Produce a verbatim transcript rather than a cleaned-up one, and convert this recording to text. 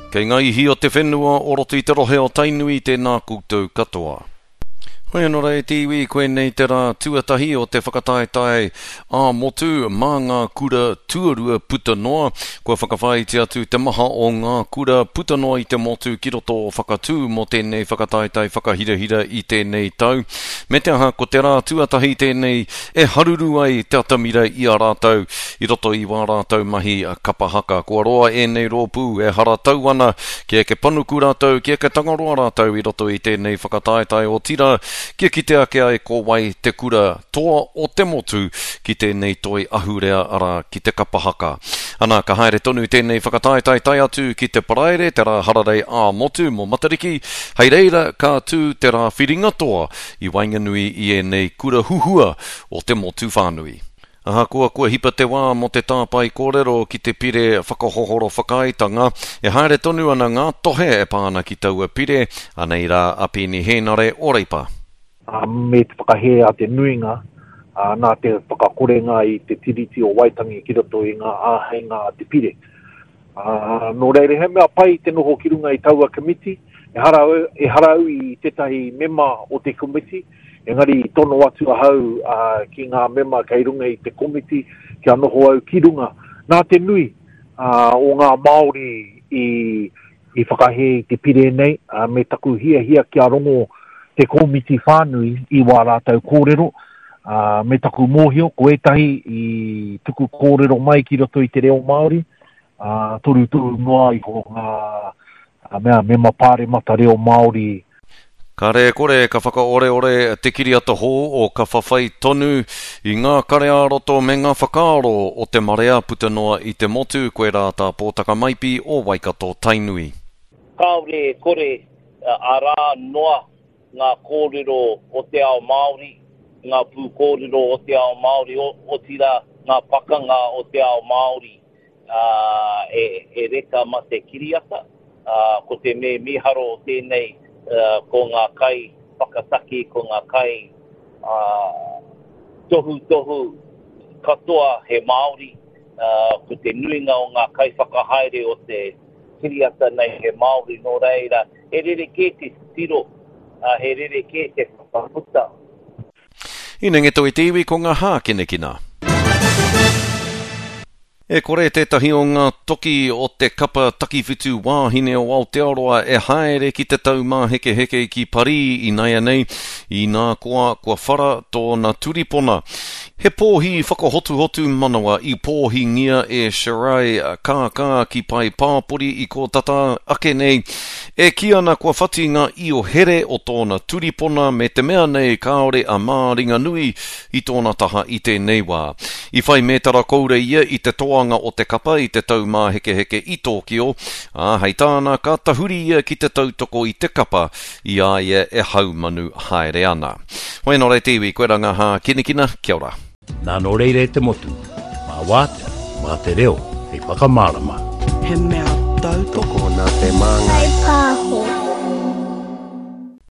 Kei ngā ihi o te whenua o roto i te rohe o Tainui, tēnā koutou katoa. Hoi anō rā e te iwi, koinei te rā tuatahi o te whakataetae ā-motu mā ngā kura tuarua puta noa. Kua whakawhāiti atu te maha o ngā kura puta noa i te motu ki roto o Whakatū mō tēnei whakataetae whakahirahira i tēnei tau. Me te aha, ko te rā tuatahi tēnei e haruru ai te atamira i a rātou i roto i wā rātou mahi kapa haka. Kua roa ēnei rōpū e haratau ana kia eke panuku rātou, kia eke tangaroa rātou i roto i tēnei whakataetae, otirā kia kite ake ai ko wai te kura toa o te motu ki tēnei toi ahurea, arā, ki te kapa haka. Ana, ka haere tonu tēnei whakataetae tae atu ki te Paraire, te rā hararei ā-motu mō Matariki, hei reira ka tū te rā whiringa toa i waenganui i ēnei kura huhua o te motu whānui. Ahakoa kua hipa te wā mō te tāpae kōrero ki te pire whakahohoro whakaaetanga, e haere tonu ana ngā tohe e pā ana ki taua pire, anei rā a Peeni Hēnare o Reipa. Me te whakahē a te nuinga, nā te whakakorenga i te Tiriti o Waitangi ki roto i ngā āheinga a te pire. Nō reira, he mea pai te noho ki runga i taua komiti, ehara au, ehara au i tētahi mema o te komiti, engari i tono atu ahau ki ngā mema kei runga i te komiti kia noho au ki runga. Nā te nui o ngā Māori i, i whakahē i te pire nei, me taku hiahia kia rongo te komiti whānui i wā rātou kōrero, me taku mōhio, ko ētahi i tuku kōrero mai ki roto i te reo Māori, torutoru noa iho ngā mea mema pāremata reo Māori. Kāre e kore ka whakaoreore te kiriata hou o Ka Whawhai Tonu i ngā kare ā-roto me ngā whakaaro o te marea puta noa i te motu, koe rā tā Pōtaka Maipi o Waikato Tainui. Kāore e kore arā noa ngā kōrero o te ao Māori, ngā pūkōrero o te ao Māori, otirā ngā pakanga o te ao Māori e, e reka ma te kiriata. Ko te me miharo o tēnei, ko ngā kai whakataki, ko ngā kai tohutohu katoa he Māori, ko te nuinga o ngā kai whakahaere o te kiriata nei he Māori, nō reira, he rerekē te tiro, he rerekē te whakaputa. Inengeto i te iwi ko ngā hākinakina. E kore tētahi o ngā toki o te kapa takiwhitu wāhine o Aotearoa e haere ki te taumāhekeheke ki Parī inaianei, inā koa kua whara tōna turipona. He pōhi whakahotuhotu manawa i pōhingia e Shirai Kākā ki Pai Pāpori i kō tata ake nei, e kī ana kua whati ngā io here o tōna turipona me te mea nei kāore a Māringanui i tōna taha i tēnei wā. I whai mētara koura ia i te toanga o te kapa i te taumāhekeheke i Tōkio, ā, hei tāna ka tahuri ia ki te tautoko i te kapa i a ia e haumanu haere ana. Hoi anō rā te iwi, koe rā ngā hākinakina, kia ora. Nā nō reira e te motu, mā wātea, mā te reo, hei whakamārama. He mea tautoko nā te māngai. Whai pāho.